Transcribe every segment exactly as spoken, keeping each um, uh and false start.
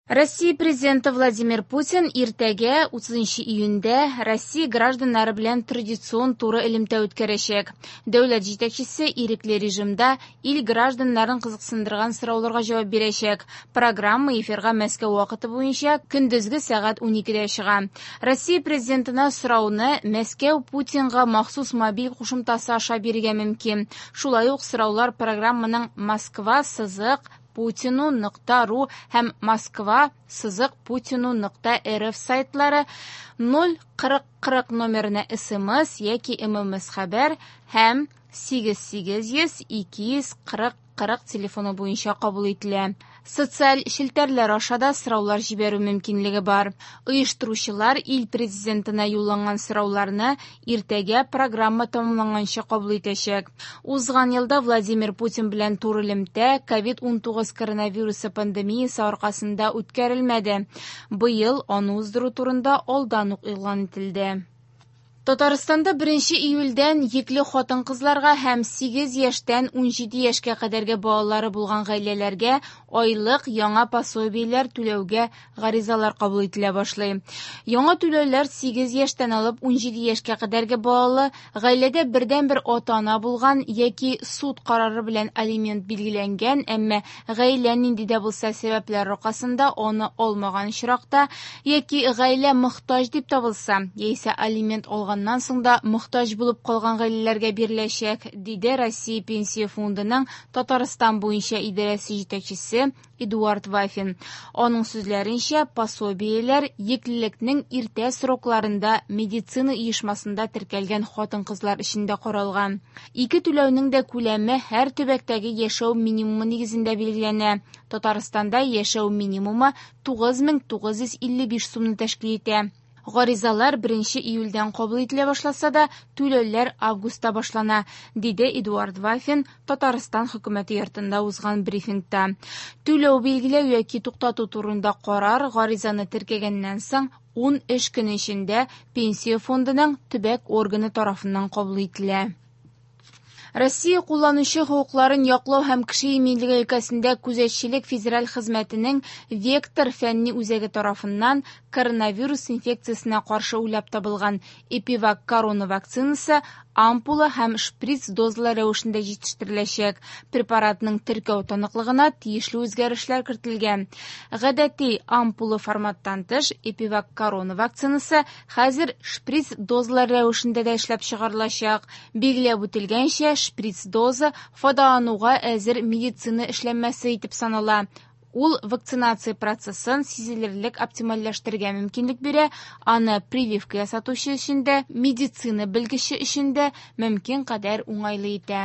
Россия Президенты Владимир Путин иртәгә, утызынчы июньдә, Россия гражданнары белән традицион туры элемтә үткәрәчәк. Дәүләт җитәкчесе ирекле режимда ил гражданнарын кызыксындырган сорауларга җавап бирәчәк. Программа эфирга Мәскәү вакыты буенча көндезге сәгать уникедә чыга. Россия Президентына сорауны Мәскәү Путинга махсус мобиль кушымтасы аша бирергә мөмкин. Шулай ук сораулар программаның Москва сызык Путину нокта ру һәм Москва сызык Путину нокта эр эф сайтлары ноль кырык кырык номерына эс эм эс яки эм эм эс хәбәр һәм сигез сигез йөз ике йөз кырык кырык телефоны буенча кабул ителә. Социаль челтәрләр аша да сораулар җибәрү мөмкинлеге бар. Оештыручылар ил президентына юлланган сорауларны иртәгә программа тәмамланганчы кабул итәчәк. Узган елда Владимир Путин белән туры элемтә ковид унтугыз коронавирусы пандемиясе аркасында үткәрелмәде. Быел аны уздыру турында алдан ук игълан ителде. Татарстанда беренче июльдән йөкле хатын-кызларга һәм сигез яшьтән унҗиде яшькә кадәрге балалары булган гаиләләргә айлык яңа пособиеләр түләүгә гаризалар кабул ителә башлый. Яңа түләүләр сигез яшьтән алып унҗиде яшькә кадәрге балалы, гаиләдә бердәнбер ата-ана булган яки суд карары белән алимент билгеләнгән, әмма гаилә нинди дә булса сәбәпләр аркасында аны алмаган очракта яки гаилә мохтаҗ дип табылса, яисә алимент алган Аннан соң да мохтаҗ булып калган гаиләләргә биреләчәк, диде Россия Пенсия фондының Татарстан буенча идарәсе җитәкчесе Эдуард Вафин. Аның сүзләренчә, пособиеләр йөклелекнең иртә срокларында медицина оешмасында теркәлгән хатын-кызлар өчен дә каралган. Ике түләүнең дә күләме һәр төбәктәге яшәү минимумы нигезендә билгеләнә. Татарстанда яшәү минимумы тугыз мең тугыз йөз илле биш сумны тәшкил итә. Гаризалар беренче июльдән кабул ителә башласа да, түләүләр августта башлана, диде Эдуард Вафин Татарстан хөкүмәте йортында узган брифингта. Түләү билгеләү яки туктату турында карар гаризаны теркәгәннән соң ун эш көне эчендә Пенсия фондының төбәк органы тарафыннан кабул ителә. Россия кулланучы хокукларын яклау һәм кеше иминлеге өлкәсендә күзәтчелек федераль хезмәтенең Вектор фәнни үзәге тарафыннан коронавирус инфекциясенә каршы уйлап табылган Эпивак корона вакцинасы ампула һәм шприц дозалар рәвешендә җитештереләчәк. Препаратның теркәү таныклыгына тиешле үзгәрешләр кертелгән. Гадәти ампула форматтан тыш Эпивак корона вакцинасы хәзер шприц дозалар рәвешендә дә эшләп чыгарылачак. Билгеләп үтелгәнчә, шприц доза файдалануга әзер медицина эшләнмәсе итеп санала. Ул вакцинация процессын сизелерлек оптимальләштерергә мөмкинлек бирә, аны прививка ясатучы өчен дә, медицина белгече өчен дә мөмкин кадәр уңайлы итә.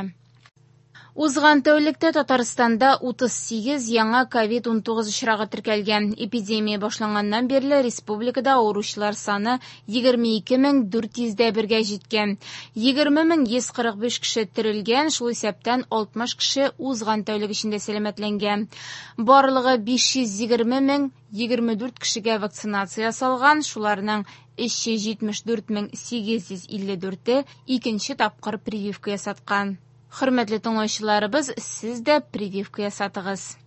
Узган тәүлектә Татарстанда утыз сигез яңа ковид унтугыз очрагы теркәлгән. Эпидемия башланганнан бирле республикада авыручылар саны егерме ике мең дүрт йөз дә бергә җиткән. Егерме мең йөз кырык биш кеше терелгән, шул исәптән алтмыш кеше узган тәүлек эчендә сәламәтләнгән. Барлыгы биш йөз егерме мең егерме дүрт кешегә вакцинация ясалган, шуларның өч йөз җитмеш дүрт мең сигез йөз илле дүрте икенче тапкыр прививка ясаткан. Хөрмәтле тыңлаучыларыбыз, сез дә прививка ясатыгыз.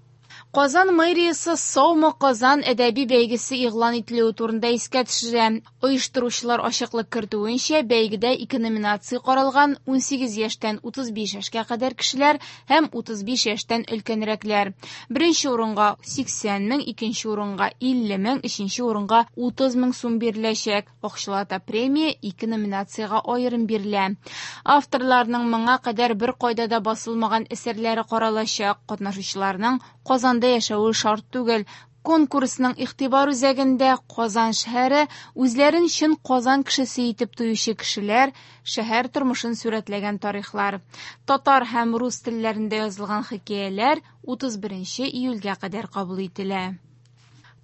Казан мэриясе Саумы Казан әдәби бәйгесе игълан ителүе турында искә төшерә. Оештыручылар ачыклык кертүенчә, бәйгедә ике номинация каралган: унсигез яшьтән утыз биш яшькә кадәр кешеләр һәм утыз биш яшьтән өлкәнрәкләр. Беренче урынга сиксән мең, икенче урынга илле мең, өченче урынга утыз мең сум биреләчәк. Акчалата премия ике номинациягә аерым бирелә. Авторларның моңа кадәр бер кайда да басылмаган әсәрләре каралачак. Катнашучыларның Казанда яшәве шарт түгел. Конкурсның игътибар үзәгендә Казан шәһәре, үзләрен чын Казан кешесе итеп тоючы кешеләр, шәһәр тормышын сурәтләгән тарихлар. Татар һәм рус телләрендә язылган хикәяләр утыз беренче июльгә кадәр кабул ителә.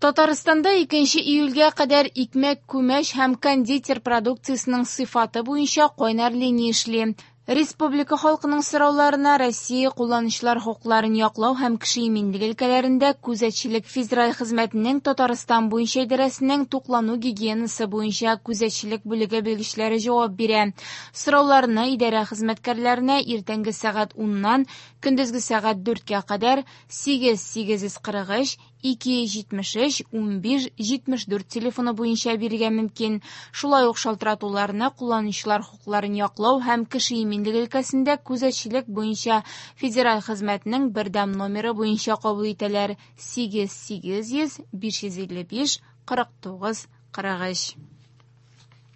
Татарстанда икенче июльгә кадәр икмәк, күмәч һәм кондитер продукциясенең сыйфаты буенча кайнар линия эшли. Республика халкының сорауларына Россия кулланучылар хокукларын яклау һәм кеше иминлеге өлкәләрендә күзәтчелек федераль хезмәтенең Татарстан буенча идарәсенең туклану гигиенасы буенча күзәтчелек бүлеге белгечләре җавап бирә. Сорауларны идарә хезмәткәрләренә иртәнге сәгать уннан көндезге сәгать дүрткә кадәр сигез сигез йөз кырык өч ике йөз җитмеш өч унбиш җитмеш дүрт телефоны буенча бирергә мөмкин. Шулай ук шалтыратуларны кулланучылар хокукларын яклау һәм кеше иминлеге өлкәсендә күзәтчелек буенча федераль хезмәтнең бердәм номеры буенча кабул итәләр: сигез сигез йөз биш йөз илле биш кырык тугыз кырык өч.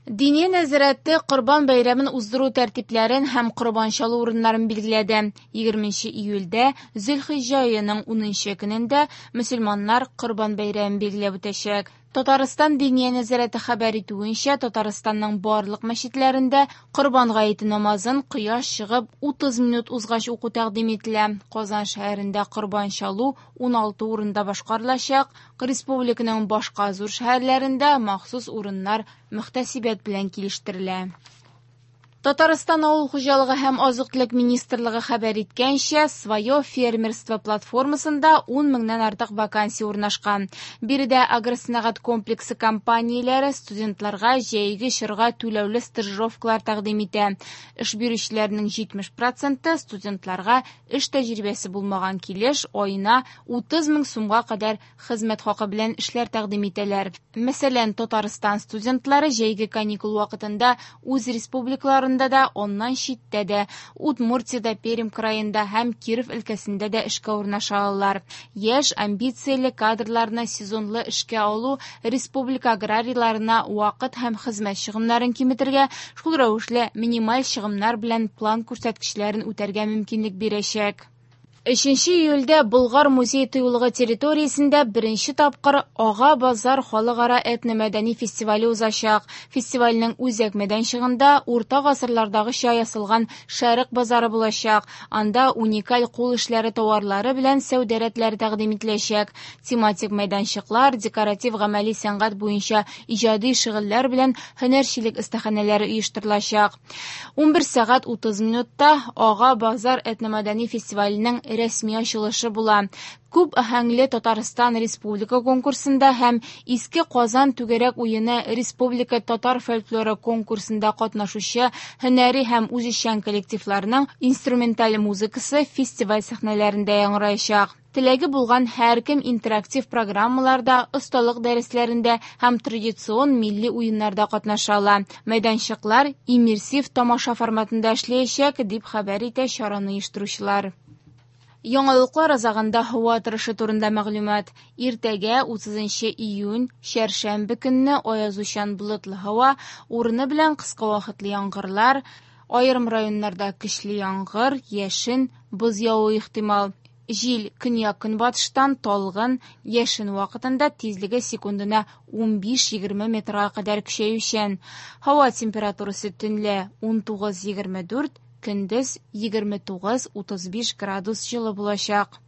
Диния нәзарәте Корбан бәйрәмен уздыру тәртипләрен һәм корбан чалу урыннарын билгеләде. Егерменче июльдә Зөлхиҗҗә аеның унынчы көнендә мөселманнар Корбан бәйрәмен билгеләп үтәчәк. Татарстан Диния нәзарәте хәбәр итүенчә, Татарстанның барлык мәчетләрендә Корбан гаете намазын кояш чыгып утыз минут узгач уку тәкъдим ителә. Казан шәһәрендә корбан чалу уналты урында башкарылачак. Республиканың башка зур шәһәрләрендә махсус урыннар мөхтәсибәт белән килештерелә. Татарстан авыл хуҗалыгы һәм азык-төлек министрлыгы хәбәр иткәнчә, «Свое фермерство» платформасында ун меңнән артык вакансия урнашкан. Биредә агросәнәгать комплексы компанияләре студентларга җәйге чорга түләүле стажировкалар тәкъдим итә. Эш бирүчеләрнең җитмеш проценты студентларга эш тәҗрибәсе булмаган килеш аена утыз мең сумга кадәр хезмәт хакы белән эшләр тәкъдим итәләр. Мәсәлән, Татарстан студентлары җәйге каникул вакытында үз республикаларында да, аннан читтә дә, Удмуртиядә, Пермь краенда һәм Киров өлкәсендә дә эшкә урнаша алалар. Яшь, амбицияле кадрларны сезонлы эшкә алу республика аграрийларына вакыт һәм хезмәт чыгымнарын киметергә, шул рәвешле минималь чыгымнар белән план күрсәткечләрен үтәргә мөмкинлек бирәчәк. Өченче июльдә Болгар музей тыюлыгы территориясендә беренче тапкыр Ага базар халыкара этномәдәни фестивале узачак. Фестивальнең үзәк мәйданчыгында урта гасырлардагыча ясалган Шәрык базары булачак. Анда уникаль кул эшләре товарлары белән сәүдә рәтләре тәкъдим ителәчәк. Тематик мәйданчыклар, декоратив гамәли сәнгать буенча иҗади шөгыльләр белән һөнәрчелек остаханәләре оештырылачак. Унбер сәгать утыз минутта Ага базар этномәдәни фестиваленең рәсми ачылышы була. Күп аһәңле Татарстан Республика конкурсында һәм Иске Казан түгәрәк уены Республика татар фольклоры конкурсында катнашучы һөнәри һәм үзешчән коллективларның инструменталь музыкасы фестиваль сәхнәләрендә яңгыраячак. Теләге булган һәркем интерактив программаларда, осталык дәресләрендә һәм традицион милли уеннарда катнаша ала. Мәйданчыклар иммерсив тамаша форматында эшләячәк, дип хәбәр итә чараны оештыручылар. Яңалыклар азагында һава торышы турында мәгълүмат. Иртәгә утызынчы июнь, чәршәмбе көнне аязучан болытлы һава, урыны белән кыска вакытлы яңгырлар, аерым районнарда көчле яңгыр, яшен, боз явуы ихтимал. Җил көньяк-көнбатыштан талгын, яшен вакытында тизлеге секундына унбиш-егерме метрга кадәр көчәючән. Һава температурасы төнлә унтугыз-егерме дүрт, көндез егерме тугыз-утыз биш градус җылы булачак.